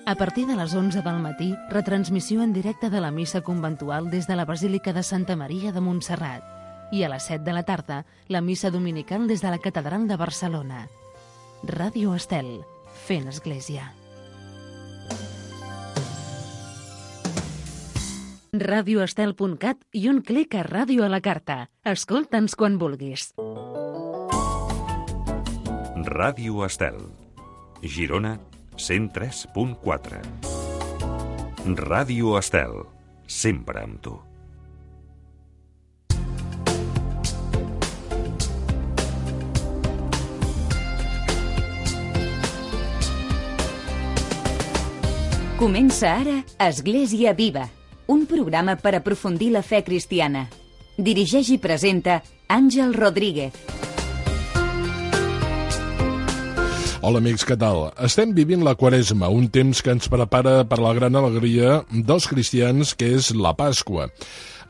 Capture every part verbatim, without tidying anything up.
A partir de les onze del matí, retransmissió en directe de la missa conventual des de la Basílica de Santa Maria de Montserrat. I a les set de la tarda, la missa dominical des de la Catedral de Barcelona. Ràdio Estel, fent església. radioestel punt cat i un clic a Ràdio a la Carta. Escolta'ns quan vulguis. Ràdio Estel, Girona, cent tres punt quatre. Ràdio Estel, sempre amb tu. Comença ara Església Viva, un programa per aprofundir la fe cristiana. Dirigeix i presenta Àngel Rodríguez. Hola amics, què tal? Estem vivint la Quaresma, un temps que ens prepara per la gran alegria dels cristians, que és la Pasqua.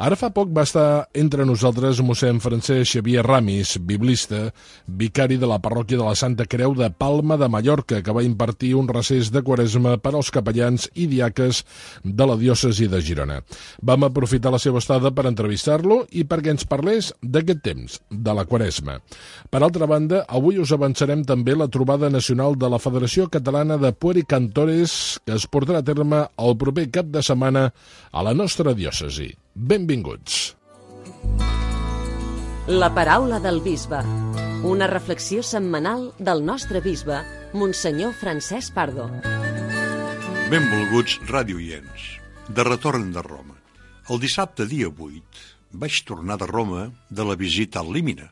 Ara fa poc va estar entre nosaltres mossèn Francesc Xavier Ramis, biblista, vicari de la parròquia de la Santa Creu de Palma de Mallorca, que va impartir un recés de Quaresma per als capellans i diaques de la diòcesi de Girona. Vam aprofitar la seva estada per entrevistar-lo i perquè ens parlés d'aquest temps, de la Quaresma. Per altra banda, avui us avançarem també la trobada nacional de la Federació Catalana de Puericantores, que es portarà a terme el proper cap de setmana a la nostra diòcesi. Benvinguts. La paraula del bisbe. Una reflexió setmanal del nostre bisbe, Monsenyor Francesc Pardo. Benvolguts radioients. De retorn de Roma. El dissabte dia vuit vaig tornar de Roma de la visita al Límina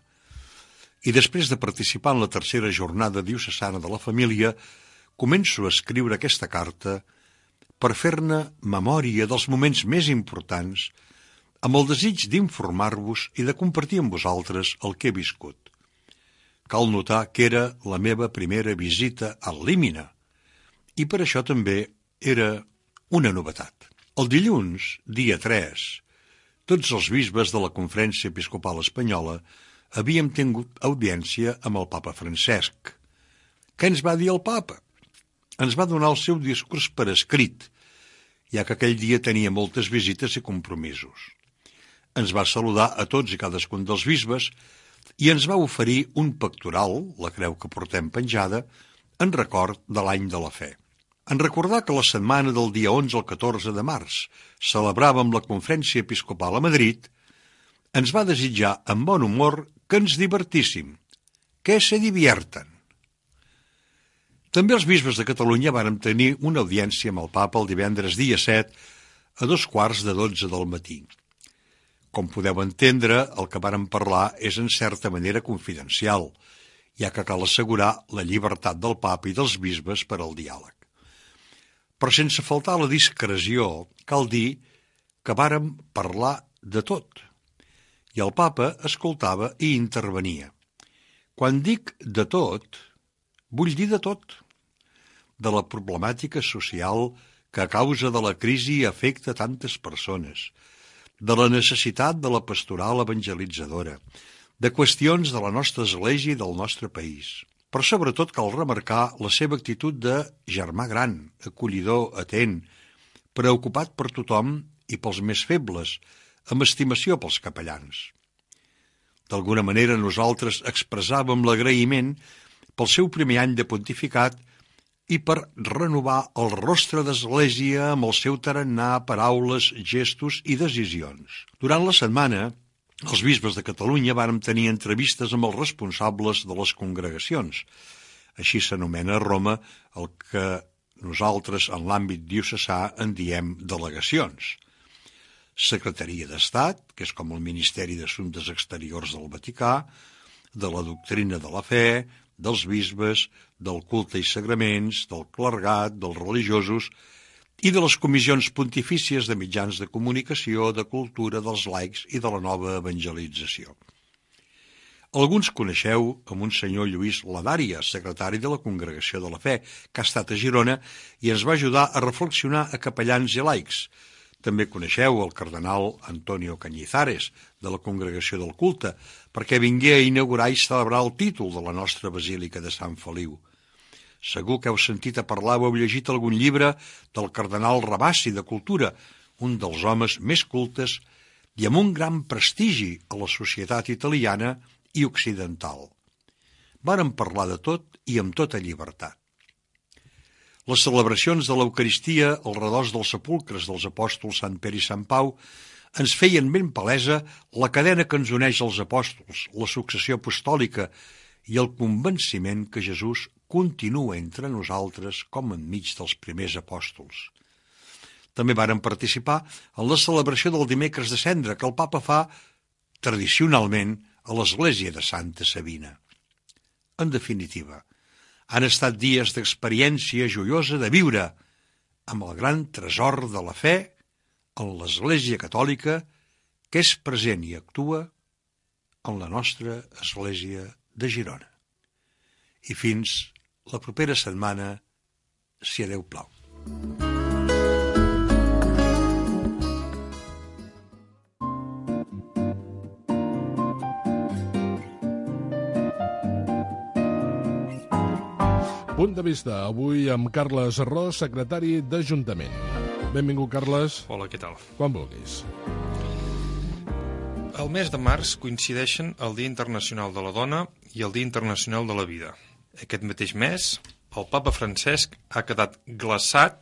i després de participar en la tercera jornada diocesana de la família començo a escriure aquesta carta per fer-ne memòria dels moments més importants amb el desig d'informar-vos i de compartir amb vosaltres el que he viscut. Cal notar que era la meva primera visita al Límina i per això també era una novetat. El dilluns, dia tres, tots els bisbes de la Conferència Episcopal Espanyola havíem tingut audiència amb el papa Francesc. Què ens va dir el papa? Ens va donar el seu discurs per escrit, ja que aquell dia tenia moltes visites i compromisos. Ens va saludar a tots i cadascun dels bisbes i ens va oferir un pectoral, la creu que portem penjada, en record de l'any de la fe. En recordar que la setmana del dia onze al catorze de març celebràvem la Conferència Episcopal a Madrid, ens va desitjar amb bon humor que ens divertíssim, que se divierten. També els bisbes de Catalunya vàrem tenir una audiència amb el papa el divendres dia set a dos quarts de dotze del matí. Com podeu entendre, el que vàrem parlar és en certa manera confidencial, ja que cal assegurar la llibertat del papa i dels bisbes per al diàleg. Però sense faltar la discreció, cal dir que vàrem parlar de tot, i el papa escoltava i intervenia. Quan dic de tot, vull dir de tot, de la problemàtica social que a causa de la crisi afecta tantes persones, de la necessitat de la pastoral evangelitzadora, de qüestions de la nostra església i del nostre país. Però sobretot cal remarcar la seva actitud de germà gran, acollidor, atent, preocupat per tothom i pels més febles, amb estimació pels capellans. D'alguna manera nosaltres expressàvem l'agraïment pel seu primer any de pontificat i per renovar el rostre d'església amb el seu tarannà, paraules, gestos i decisions. Durant la setmana, els bisbes de Catalunya vàrem tenir entrevistes amb els responsables de les congregacions. Així s'anomena a Roma el que nosaltres en l'àmbit diocesà en diem delegacions. Secretaria d'Estat, que és com el Ministeri d'Assumptes Exteriors del Vaticà, de la doctrina de la fe, dels bisbes, del culte i sagraments, del clergat, dels religiosos i de les comissions pontifícies de mitjans de comunicació, de cultura, dels laics i de la nova evangelització. Alguns coneixeu a Monsenyor Lluís Ladària, secretari de la Congregació de la Fe, que ha estat a Girona i ens va ajudar a reflexionar a capellans i laics. També coneixeu el cardenal Antonio Cañizares, de la Congregació del Culte, perquè vingué a inaugurar i celebrar el títol de la nostra Basílica de Sant Feliu. Segur que heu sentit a parlar o heu llegit algun llibre del cardenal Rabassi de Cultura, un dels homes més cultes i amb un gran prestigi a la societat italiana i occidental. Varen parlar de tot i amb tota llibertat. Les celebracions de l'Eucaristia al redós dels sepulcres dels apòstols Sant Pere i Sant Pau ens feien ben palesa la cadena que ens uneix als apòstols, la successió apostòlica i el convenciment que Jesús continua entre nosaltres com enmig dels primers apòstols. També varen participar en la celebració del dimecres de cendra que el papa fa tradicionalment a l'església de Santa Sabina. En definitiva, han estat dies d'experiència joiosa de viure amb el gran tresor de la fe en l'Església Catòlica que és present i actua en la nostra Església de Girona. I fins la propera setmana, si a Déu plau. Punt de vista, avui amb Carles Ros, secretari d'Ajuntament. Benvingut, Carles. Hola, què tal? Quan vulguis. El mes de març coincideixen el Dia Internacional de la Dona i el Dia Internacional de la Vida. Aquest mateix mes, el papa Francesc ha quedat glaçat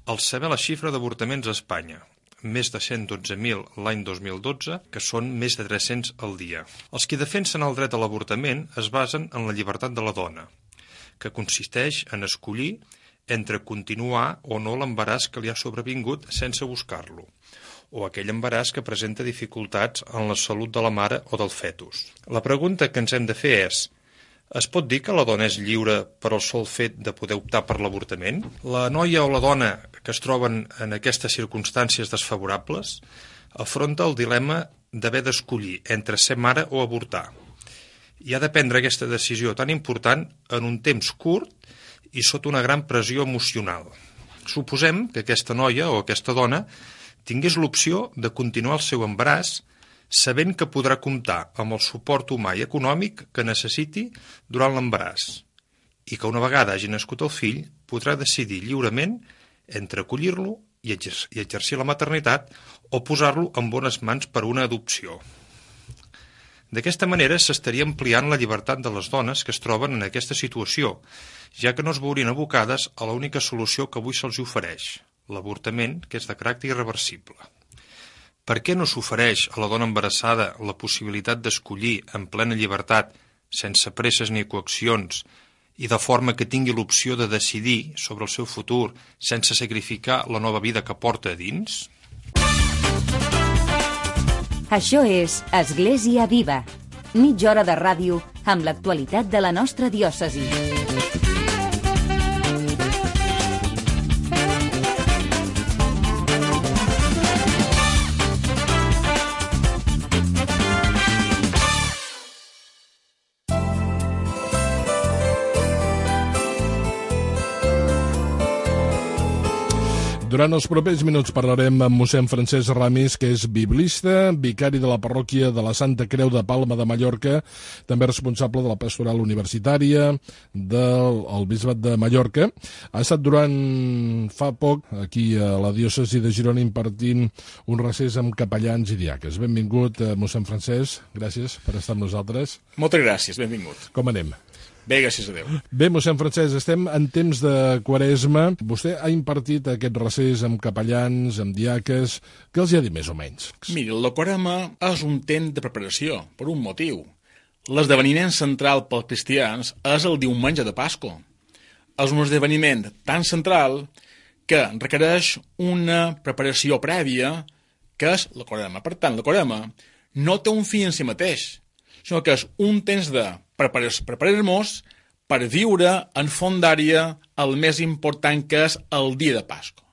al saber la xifra d'avortaments a Espanya, més de cent dotze mil l'any dos mil dotze, que són més de tres-cents al dia. Els que defensen el dret a l'avortament es basen en la llibertat de la dona, que consisteix en escollir entre continuar o no l'embaràs que li ha sobrevingut sense buscar-lo, o aquell embaràs que presenta dificultats en la salut de la mare o del fetus. La pregunta que ens hem de fer és: es pot dir que la dona és lliure per al sol fet de poder optar per l'avortament? La noia o la dona que es troben en aquestes circumstàncies desfavorables afronta el dilema d'haver d'escollir entre ser mare o avortar. I ha de prendre aquesta decisió tan important en un temps curt i sota una gran pressió emocional. Suposem que aquesta noia o aquesta dona tingués l'opció de continuar el seu embaràs sabent que podrà comptar amb el suport humà i econòmic que necessiti durant l'embaràs i que una vegada hagi nascut el fill podrà decidir lliurement entre acollir-lo i exercir la maternitat o posar-lo en bones mans per una adopció. D'aquesta manera s'estaria ampliant la llibertat de les dones que es troben en aquesta situació, ja que no es veurien abocades a l'única solució que avui se'ls ofereix, l'avortament, que és de caràcter irreversible. Per què no s'ofereix a la dona embarassada la possibilitat d'escollir en plena llibertat, sense presses ni coaccions, i de forma que tingui l'opció de decidir sobre el seu futur sense sacrificar la nova vida que porta a dins? Això és Església Viva, mitja hora de ràdio amb l'actualitat de la nostra diòcesi. Durant els propers minuts parlarem amb mossèn Francesc Ramis, que és biblista, vicari de la parròquia de la Santa Creu de Palma de Mallorca, també responsable de la pastoral universitària del el Bisbat de Mallorca. Ha estat durant fa poc aquí a la diòcesi de Girona impartint un recés amb capellans i diaques. Benvingut, mossèn Francesc, gràcies per estar amb nosaltres. Moltes gràcies, benvingut. Com anem? Bé, gràcies a Déu. Bé, mossèn Francesc, estem en temps de Quaresma. Vostè ha impartit aquest recés amb capellans, amb diaques. Què els hi ha dit més o menys? Miri, la Quaresma és un temps de preparació, per un motiu. L'esdeveniment central pels cristians és el diumenge de Pasqua. És un esdeveniment tan central que requereix una preparació prèvia, que és la Quaresma. Per tant, la Quaresma no té un fi en si mateix, sinó que és un temps de preparar-nos per viure en fondària el més important, que és el dia de Pasqua.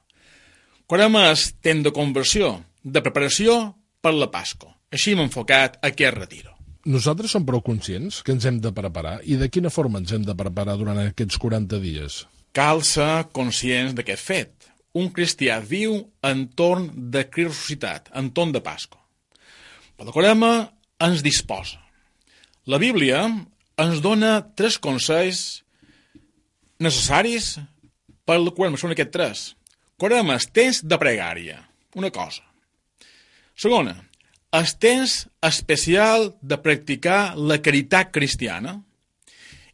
Quaresma és temps de conversió, de preparació per la Pasqua. Així hem enfocat aquest retiro. Nosaltres som prou conscients que ens hem de preparar, i de quina forma ens hem de preparar durant aquests quaranta dies? Cal ser conscients d'aquest fet. Un cristià viu entorn de Crist ressuscitat, entorn de Pasqua. Però la Quaresma ens disposa. La Bíblia ens dona tres consells necessaris per la quaresma són aquests tres. Quaresma, el temps de pregària, una cosa. Segona, el temps especial de practicar la caritat cristiana.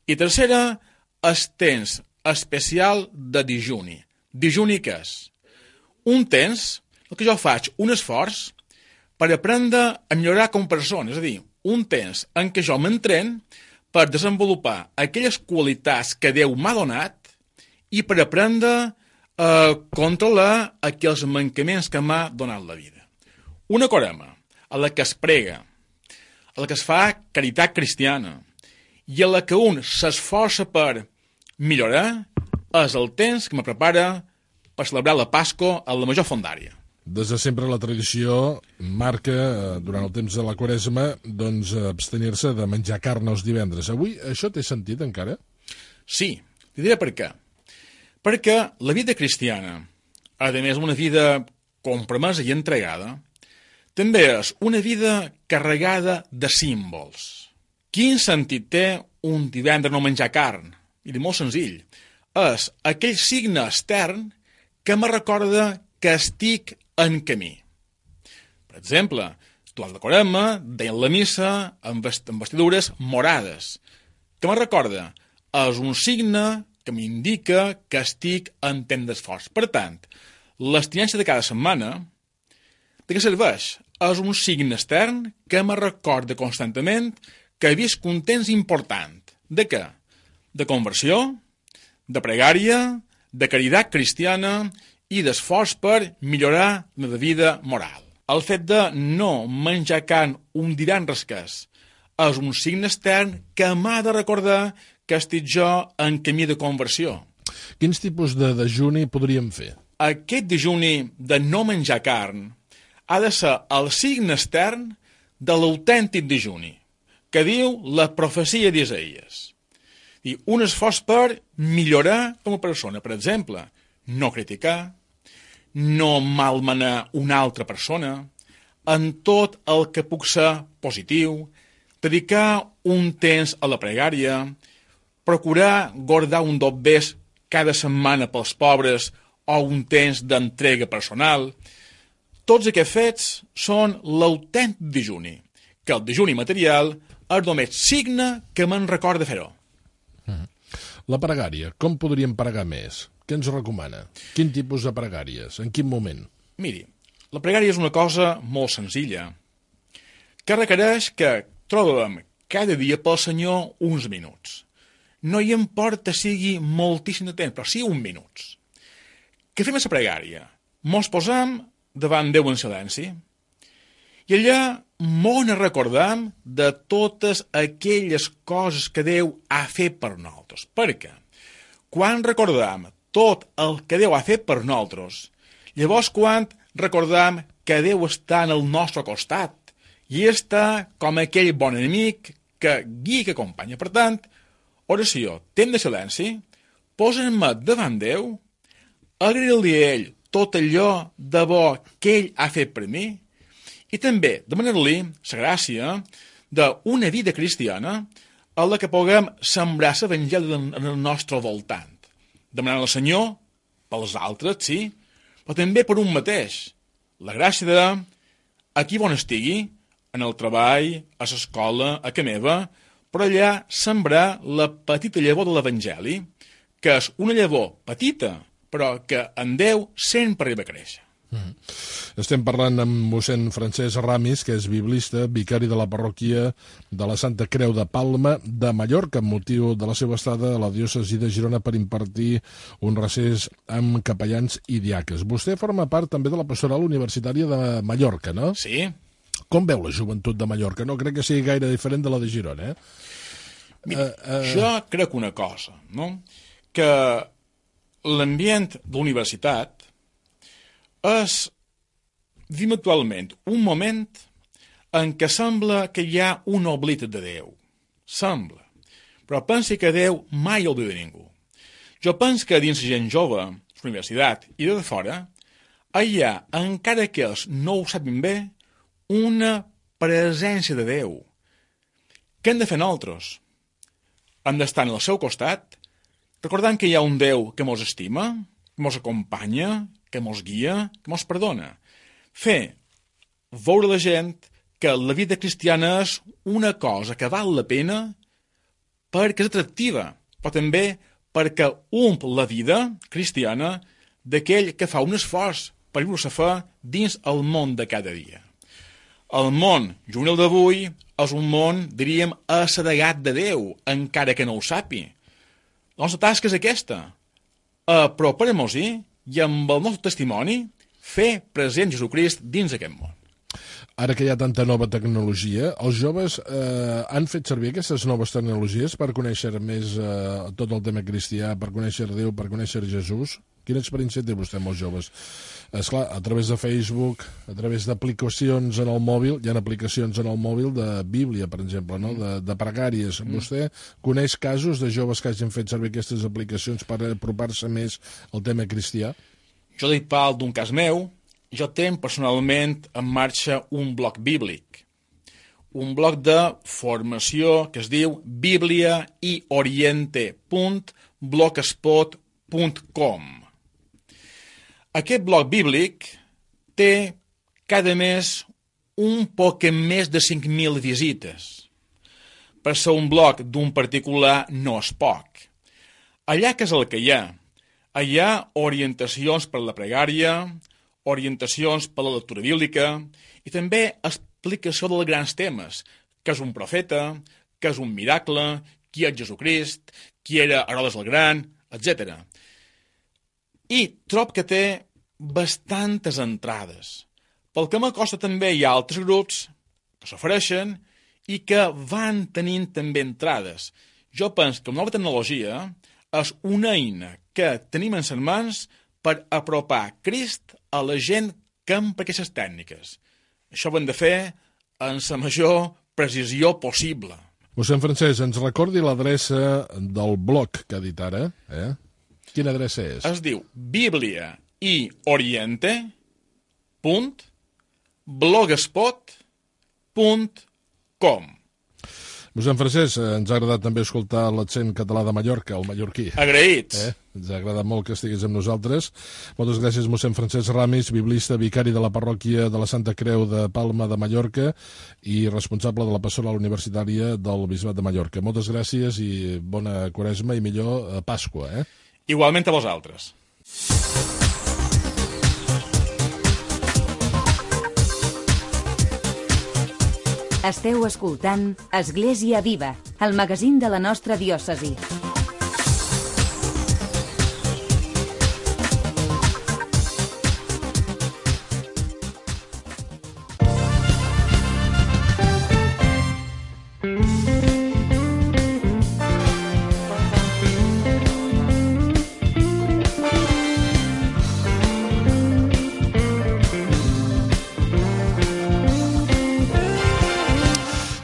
I tercera, el temps especial de dijuni. Dijuni què és? Un temps, el que jo faig, un esforç per aprendre a millorar com a persona, és a dir, un temps en què jo m'entren per desenvolupar aquelles qualitats que Déu m'ha donat i per aprendre a controlar aquells mancaments que m'ha donat la vida. Una quaresma a la que es prega, a la que es fa caritat cristiana i a la que un s'esforça per millorar és el temps que me prepara per celebrar la Pasqua a la major fondària. Des de sempre la tradició marca, eh, durant el temps de la Quaresma, doncs abstenir-se de menjar carn els divendres. Avui això té sentit encara? Sí, t'hi diré per què. Perquè la vida cristiana, a més una vida compromesa i entregada, també és una vida carregada de símbols. Quin sentit té un divendres no menjar carn? I molt senzill. És aquell signe extern que me recorda que estic en camí. Per exemple, durant la Quaresma deien la missa amb vestidures morades, que me recorda, és un signe que m'indica que estic en temps d'esforç. Per tant, l'abstinència de cada setmana, de què serveix? És un signe extern que me recorda constantment que he vist un temps important. De què? De conversió, de pregària, de caritat cristiana i d'esforç per millorar la meva vida moral. El fet de no menjar carn un divendres és un signe extern que m'ha de recordar que estic jo en camí de conversió. Quins tipus de dejuni podríem fer? Aquest dejuni de no menjar carn ha de ser el signe extern de l'autèntic dejuni, que diu la profecia d'Isaïes. I un esforç per millorar com a persona. Per exemple, no criticar, no malmenar una altra persona, en tot el que puc ser positiu, dedicar un temps a la pregària, procurar guardar un dobbers cada setmana pels pobres o un temps d'entrega personal. Tots aquests fets són l'autèntic dejuni, que el dejuni material és només signe que me'n recorda fer-ho. La pregària, com podríem pregar més? Què ens recomana? Quin tipus de pregàries? En quin moment? Miri, la pregària és una cosa molt senzilla, que requereix que trobem cada dia pel Senyor uns minuts. No hi importa sigui moltíssim de temps, però sí uns minuts. Què fem a la pregària? Mos posam davant Déu en silenci i allà mos ne recordam de totes aquelles coses que Déu ha fet per nosaltres. Per què? Quan recordam tot el que Déu ha fet per nosaltres, llavors quan recordam que Déu està en el nostre costat i està com aquell bon enemic que guia i que acompanya. Per tant, oració, temps de silenci, posa'm-me davant Déu, agrair-li a ell tot allò de bo que ell ha fet per mi i també demanar-li la gràcia d'una vida cristiana a la que puguem sembrar l'evangeli en el nostre voltant. Demanar al Senyor pels altres, sí, però també per un mateix. La gràcia de, aquí on estigui, en el treball, a l'escola, a casa meva, però allà sembrar la petita llavor de l'Evangeli, que és una llavor petita, però que en Déu sempre arriba a créixer. Mm. Estem parlant amb mossèn Francesc Ramis, que és biblista, vicari de la parròquia de la Santa Creu de Palma de Mallorca, amb motiu de la seva estada a la diòcesi de Girona per impartir un recés amb capellans i diaques. Vostè forma part també de la pastoral universitària de Mallorca, no? Sí. Com veu la joventut de Mallorca? No crec que sigui gaire diferent de la de Girona, eh? Mira, uh, uh... jo crec una cosa, no? Que l'ambient de la universitat és, vivim actualment, un moment en què sembla que hi ha un oblit de Déu. Sembla. Però pensi que Déu mai oblida ningú. Jo penso que dins la gent jove, la universitat i de fora, hi ha, encara que ells no ho sapin bé, una presència de Déu. Què hem de fer nosaltres? Hem d'estar al seu costat, recordant que hi ha un Déu que mos estima, que mos acompanya, que mos guia, que mos perdona. Fer veure a la gent que la vida cristiana és una cosa que val la pena perquè és atractiva, però també perquè omple la vida cristiana d'aquell que fa un esforç per viure la fe dins el món de cada dia. El món juvenil d'avui és un món, diríem, assedegat de Déu, encara que no ho sàpi. La nostra tasca és aquesta, apropar-nos-hi i amb el nostre testimoni fer present Jesucrist dins aquest món. Ara que hi ha tanta nova tecnologia, els joves eh, han fet servir aquestes noves tecnologies per conèixer més eh, tot el tema cristià, per conèixer Déu, per conèixer Jesús? Quina experiència té vostè amb els joves? Esclar, a través de Facebook, a través d'aplicacions en el mòbil, hi ha aplicacions en el mòbil de Bíblia, per exemple, no? de, de pregàries. Mm. Vostè coneix casos de joves que hagin fet servir aquestes aplicacions per apropar-se més al tema cristià? Jo dic pal d'un cas meu. Jo tenc personalment en marxa un blog bíblic, un blog de formació que es diu biblia i oriente punt blogspot punt com. Aquest blog bíblic té cada mes un poc més de cinc mil visites. Per ser un blog d'un particular no és poc. Allà què és el que hi ha? Hi ha orientacions per la pregària, orientacions per la lectura bíblica i també explicació dels grans temes, què és un profeta, què és un miracle, qui és Jesucrist, qui era Herodes el Gran, etcètera. I trob que té bastantes entrades. Pel que m'acosta també hi ha altres grups que s'ofereixen i que van tenint també entrades. Jo penso que la nova tecnologia és una eina que tenim en les mans per apropar Crist a la gent que empra aquestes tècniques. Això ho hem de fer en la major precisió possible. Mossèn Francesc, ens recordi l'adreça del blog que ha dit ara? Eh? Quina adreça és? Es diu biblia i oriente punt blogspot punt com. Mossèn Francesc, ens ha agradat també escoltar l'accent català de Mallorca, el mallorquí. Agraïts. Eh? Ens ha agradat molt que estiguis amb nosaltres. Moltes gràcies, mossèn Francesc Ramis, biblista, vicari de la parròquia de la Santa Creu de Palma de Mallorca i responsable de la pastoral universitària del Bisbat de Mallorca. Moltes gràcies i bona Quaresma i millor Pasqua. Eh? Igualment a vosaltres. Esteu escoltant Església Viva, el magazín de la nostra diòcesi.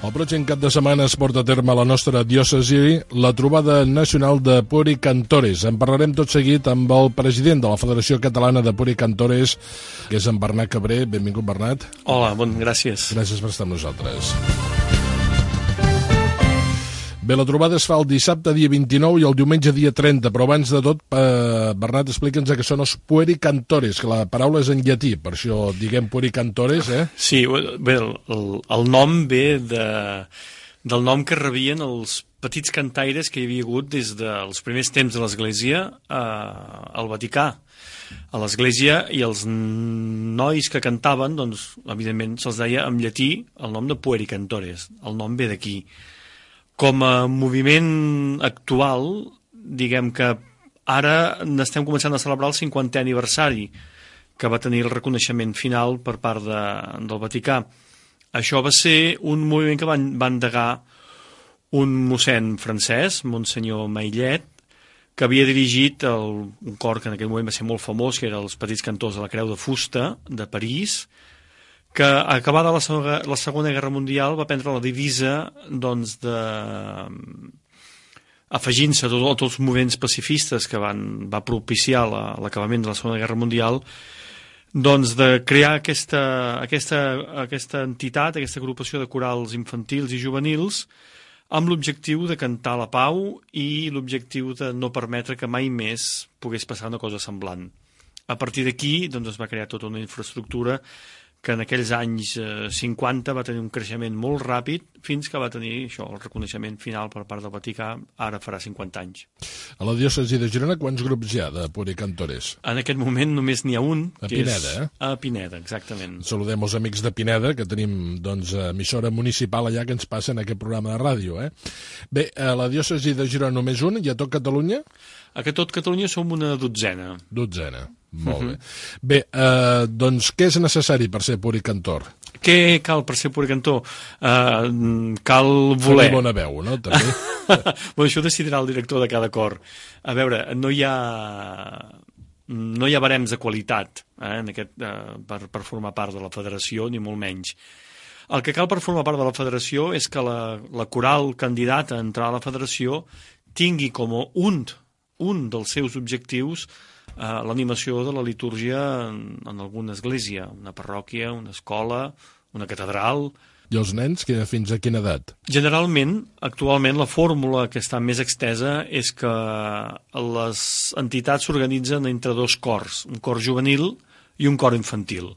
El pròxim cap de setmana es porta a terme a la nostra diòcesi la trobada nacional de Puericantores. En parlarem tot seguit amb el president de la Federació Catalana de Puericantores, que és en Bernat Cabré. Benvingut, Bernat. Hola, bon, gràcies. Gràcies per estar amb nosaltres. Bé, la trobada es fa el dissabte dia vint-i-nou i el diumenge dia trenta, però abans de tot, eh, Bernat, explica'ns que són els Puericantores, que la paraula és en llatí, per això diguem Puericantores, eh? Sí, bé, el, el nom ve de, del nom que rebien els petits cantaires que hi havia hagut des dels primers temps de l'Església eh, al Vaticà. A l'Església, i els nois que cantaven, doncs, evidentment, se'ls deia en llatí el nom de Puericantores. El nom ve d'aquí. Com a moviment actual, diguem que ara n'estem començant a celebrar el cinquantè aniversari, que va tenir el reconeixement final per part de, del Vaticà. Això va ser un moviment que van, va endegar un mossèn francès, Monsenyor Maillet, que havia dirigit el, un cor que en aquell moment va ser molt famós, que era els Petits Cantors de la Creu de Fusta, de París, que acabada la segona, la segona Guerra Mundial va prendre la divisa doncs, de afegint-se a tots, tots els moviments pacifistes que van, va propiciar l'acabament de la Segona Guerra Mundial, doncs de crear aquesta, aquesta, aquesta entitat, aquesta agrupació de corals infantils i juvenils amb l'objectiu de cantar la pau i l'objectiu de no permetre que mai més pogués passar una cosa semblant. A partir d'aquí doncs, es va crear tota una infraestructura que en aquells anys eh, cinquanta va tenir un creixement molt ràpid fins que va tenir això, el reconeixement final per part del Vaticà, ara farà cinquanta anys. A la diòcesi de Girona, quants grups hi ha de puricantores? En aquest moment només n'hi ha un. A que Pineda, és eh? A Pineda, exactament. Saludem els amics de Pineda, que tenim doncs, emissora municipal allà que ens passa en aquest programa de ràdio. Eh? Bé, a la diòcesi de Girona només un, i a tot Catalunya? A tot Catalunya som una dotzena. Dotzena. Molt bé. Bé, eh, doncs què és necessari per ser puricantor? Què cal per ser puricantor? Uh, cal voler. Tenir bona veu, no? També. Bueno, això ho decidirà el director de cada cor. A veure, no hi ha, no hi ha barems de qualitat eh, en aquest, uh, per, per formar part de la federació, ni molt menys. El que cal per formar part de la federació és que la, la coral candidata a entrar a la federació tingui com un, un dels seus objectius Uh, l'animació de la litúrgia en, en alguna església, una parròquia, una escola, una catedral. I els nens, que fins a quina edat? Generalment, actualment, la fórmula que està més extesa és que les entitats s'organitzen entre dos cors, un cor juvenil i un cor infantil.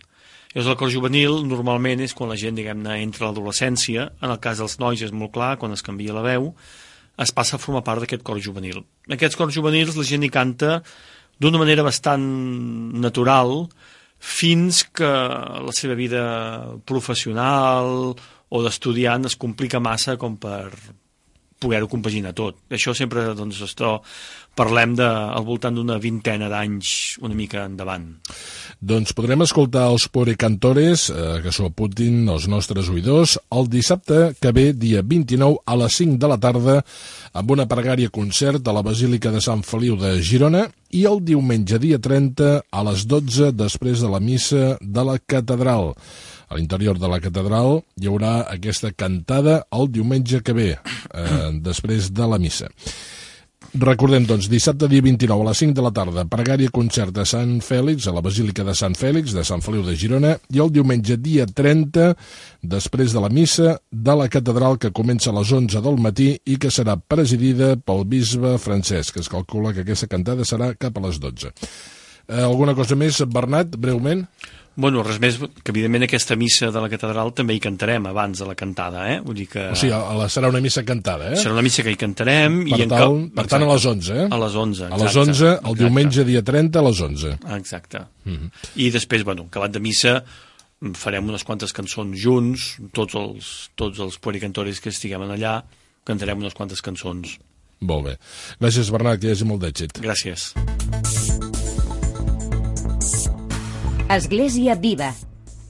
Llavors, el cor juvenil normalment és quan la gent, diguem-ne, entra a l'adolescència. En el cas dels nois és molt clar, quan es canvia la veu, es passa a formar part d'aquest cor juvenil. En aquests cors juvenils la gent hi canta d'una manera bastant natural fins que la seva vida professional o d'estudiant es complica massa com per poder-ho compaginar tot. Això sempre, doncs, esto, parlem de, al voltant d'una vintena d'anys una mica endavant. Doncs podrem escoltar els puricantores, eh, que s'ho apuntin els nostres oïdors, el dissabte que ve, dia vint-i-nou, a les cinc de la tarda, amb una pregària concert a la Basílica de Sant Feliu de Girona, i el diumenge, dia trenta, a les dotze, després de la missa de la catedral. A l'interior de la catedral hi haurà aquesta cantada el diumenge que ve, eh, després de la missa. Recordem, doncs, dissabte dia vint-i-nou a les cinc de la tarda, pregària concert a Sant Fèlix, a la Basílica de Sant Fèlix, de Sant Feliu de Girona, i el diumenge dia trenta, després de la missa de la catedral, que comença a les onze del matí i que serà presidida pel bisbe Francesc, que es calcula que aquesta cantada serà cap a les dotze. Eh, alguna cosa més, Bernat, breument? Bueno, res més, que evidentment aquesta missa de la catedral també hi cantarem abans de la cantada, eh? Vull dir que... O sigui, a la, serà una missa cantada, eh? Serà una missa que hi cantarem... Per, i tal, en per tant, a les onze, eh? A les onze, exacte. A les onze, el exacte. Diumenge, dia trenta, a les onze. Exacte. Mm-hmm. I després, bueno, acabat de missa, farem unes quantes cançons junts, tots els, tots els puericantores que estiguem allà, cantarem unes quantes cançons. Molt bé. Gràcies, Bernat, que hi hagi molt d'èxit. Gràcies. Església Viva.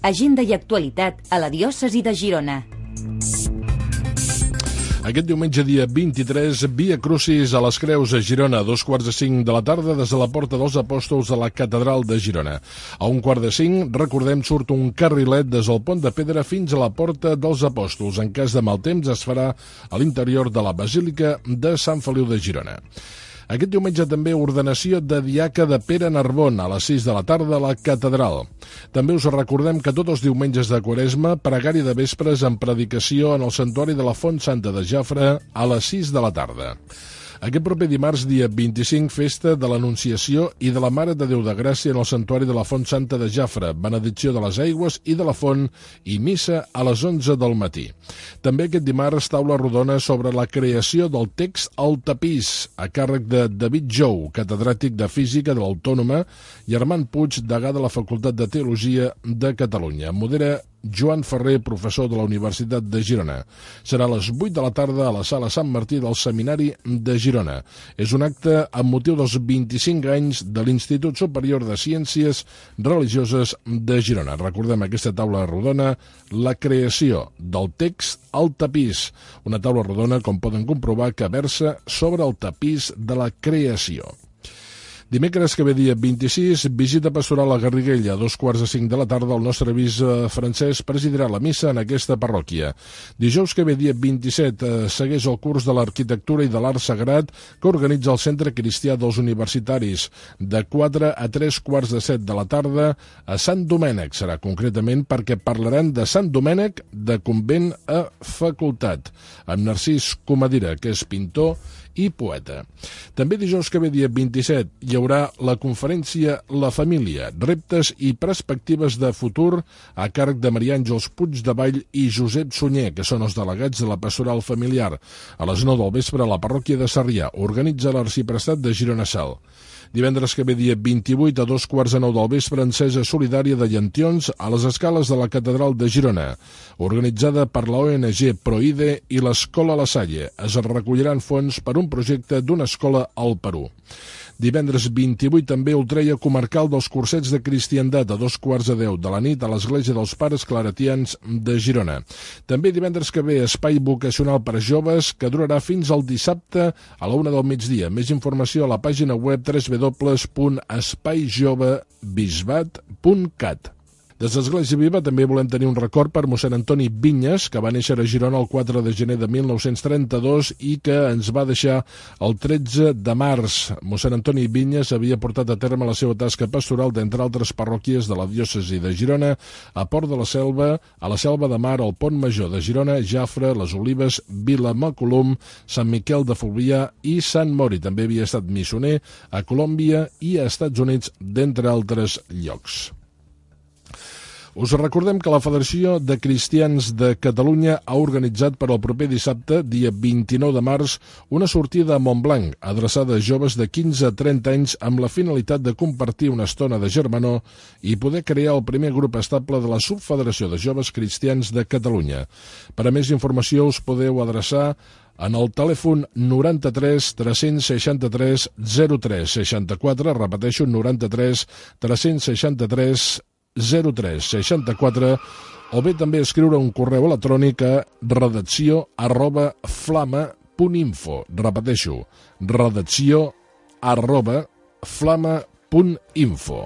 Agenda i actualitat a la diòcesi de Girona. Aquest diumenge, dia vint-i-tres, Via Crucis a les Creus a Girona, a dos quarts de cinc de la tarda, des de la Porta dels Apòstols a la Catedral de Girona. A un quart de cinc, recordem, surt un carrilet des del Pont de Pedra fins a la Porta dels Apòstols. En cas de mal temps, es farà a l'interior de la Basílica de Sant Feliu de Girona. Aquest diumenge també ordenació de diaca de Pere Narbon a les sis de la tarda a la Catedral. També us recordem que tots els diumenges de Quaresma, pregària de vespres amb predicació en el Santuari de la Font Santa de Jafre a les sis de la tarda. Aquest proper dimarts, dia vint-i-cinc, festa de l'Anunciació i de la Mare de Déu de Gràcia en el Santuari de la Font Santa de Jafre, benedicció de les aigües i de la font i missa a les onze del matí. També aquest dimarts, taula rodona sobre la creació del text al tapís, a càrrec de David Jou, catedràtic de Física de l'Autònoma, i Armand Puig, degà de la Facultat de Teologia de Catalunya. Modera Joan Ferrer, professor de la Universitat de Girona. Serà a les vuit de la tarda a la Sala Sant Martí del Seminari de Girona. És un acte amb motiu dels vint-i-cinc anys de l'Institut Superior de Ciències Religioses de Girona. Recordem aquesta taula rodona, la creació del text al tapís. Una taula rodona, com poden comprovar, que versa sobre el tapís de la creació. Dimecres que ve dia vint-i-sis, visita pastoral a Garriguella, a dos quarts de cinc de la tarda. El nostre bisbe Francesc presidirà la missa en aquesta parròquia. Dijous que ve dia vint-i-set, eh, segueix el curs de l'arquitectura i de l'art sagrat que organitza el Centre Cristià dels Universitaris, de quatre a tres quarts de set de la tarda a Sant Domènec. Serà concretament perquè parlaran de Sant Domènec de convent a facultat, amb Narcís Comadira, que és pintor i poeta. També dijous que ve dia vint-i-set hi haurà la conferència La Família, reptes i perspectives de futur a càrrec de Maria Àngels Puigdevall i Josep Sunyer, que són els delegats de la pastoral familiar. A les nou del vespre a la parròquia de Sarrià organitza l'arxiprestat de Girona Sal. Divendres que ve dia vint-i-vuit a dos quarts de nou del vespre, encesa solidària de llantions a les escales de la Catedral de Girona, organitzada per la O N G Proide i l'Escola La Salle. Es recolliran fons per un projecte d'una escola al Perú. Divendres vint-i-vuit també Ultreia comarcal dels cursets de cristiandat a dos quarts de deu de la nit a l'Església dels Pares Claretians de Girona. També divendres que ve espai vocacional per a joves que durarà fins al dissabte a la una del migdia. Més informació a la pàgina web w w w punt espai jove bisbat punt cat. Des d'Església Viva també volem tenir un record per mossèn Antoni Vinyes, que va néixer a Girona el quatre de gener de mil nou-cents trenta-dos i que ens va deixar el tretze de març. Mossèn Antoni Vinyes havia portat a terme la seva tasca pastoral d'entre altres parròquies de la diòcesi de Girona, a Port de la Selva, a la Selva de Mar, al Pont Major de Girona, Jafre, les Olives, Vilamacolum, Sant Miquel de Fluvià i Sant Mori. També havia estat missioner a Colòmbia i a Estats Units, d'entre altres llocs. Us recordem que la Federació de Cristians de Catalunya ha organitzat per al proper dissabte, dia vint-i-nou de març, una sortida a Montblanc, adreçada a joves de quinze a trenta anys amb la finalitat de compartir una estona de germanor i poder crear el primer grup estable de la Subfederació de Joves Cristians de Catalunya. Per a més informació us podeu adreçar en el telèfon noranta-tres tres-cents seixanta-tres zero tres seixanta-quatre, repeteixo, noranta-tres tres-cents seixanta-tres zero tres seixanta-quatre, o bé també escriure un correu electrònic a redacció arroba flama punt info. Repeteixo, redacció arroba flama punt info.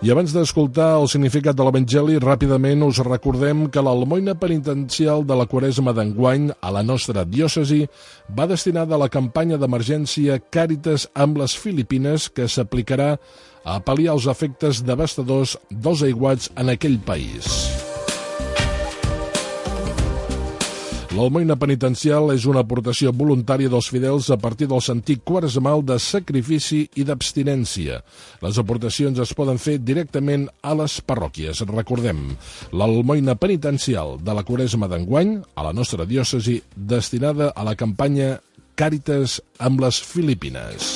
I abans d'escoltar el significat de l'Evangeli, ràpidament us recordem que l'almoina penitencial de la Quaresma d'enguany a la nostra diòcesi va destinada a la campanya d'emergència Càritas amb les Filipines, que s'aplicarà a pal·liar els efectes devastadors dels aiguats en aquell país. L'almoina penitencial és una aportació voluntària dels fidels a partir del sentit quaresmal de sacrifici i d'abstinència. Les aportacions es poden fer directament a les parròquies. Recordem, l'almoina penitencial de la Quaresma d'enguany a la nostra diòcesi, destinada a la campanya Càritas amb les Filipines.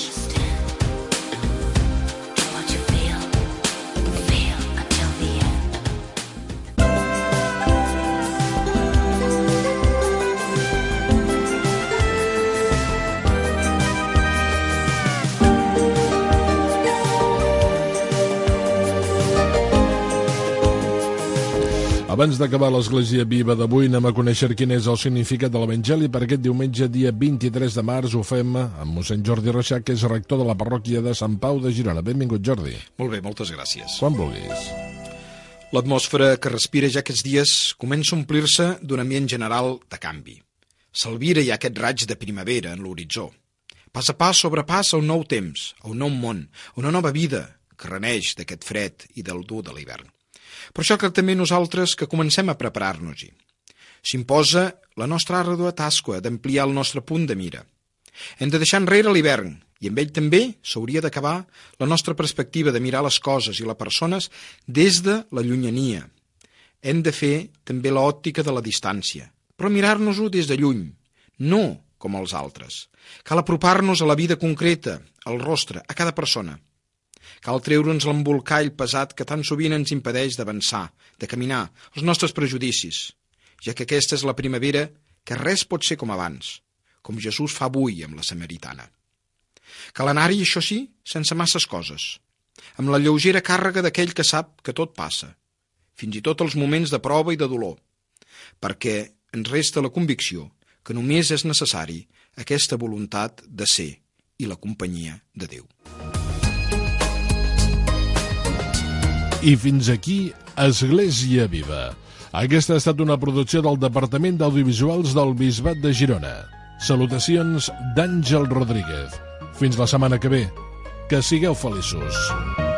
Abans d'acabar l'Església Viva d'avui, anem a conèixer quin és el significat de l'Evangeli per aquest diumenge, dia vint-i-tres de març. Ho fem amb mossèn Jordi Reixac, que és rector de la parròquia de Sant Pau de Girona. Benvingut, Jordi. Molt bé, moltes gràcies. Quan vulguis. L'atmosfera que respira ja aquests dies comença a omplir-se d'un ambient general de canvi. S'albira ja aquest raig de primavera en l'horitzó. Pas a pas sobrepassa un nou temps, a un nou món, una nova vida que reneix d'aquest fred i del dur de l'hivern. Per això que també nosaltres que comencem a preparar-nos-hi. S'imposa la nostra àrdua tasca d'ampliar el nostre punt de mira. Hem de deixar enrere l'hivern i amb ell també s'hauria d'acabar la nostra perspectiva de mirar les coses i les persones des de la llunyania. Hem de fer també l'òptica de la distància, però mirar-nos-ho des de lluny, no com els altres. Cal apropar-nos a la vida concreta, al rostre, a cada persona. Cal treure'ns l'embolcall pesat que tan sovint ens impedeix d'avançar, de caminar, els nostres prejudicis, ja que aquesta és la primavera que res pot ser com abans, com Jesús fa avui amb la samaritana. Cal anar-hi, això sí, sense masses coses, amb la lleugera càrrega d'aquell que sap que tot passa, fins i tot els moments de prova i de dolor, perquè ens resta la convicció que només és necessari aquesta voluntat de ser i la companyia de Déu. I fins aquí Església Viva. Aquesta ha estat una producció del Departament d'Audiovisuals del Bisbat de Girona. Salutacions d'Àngel Rodríguez. Fins la setmana que ve. Que sigueu feliços.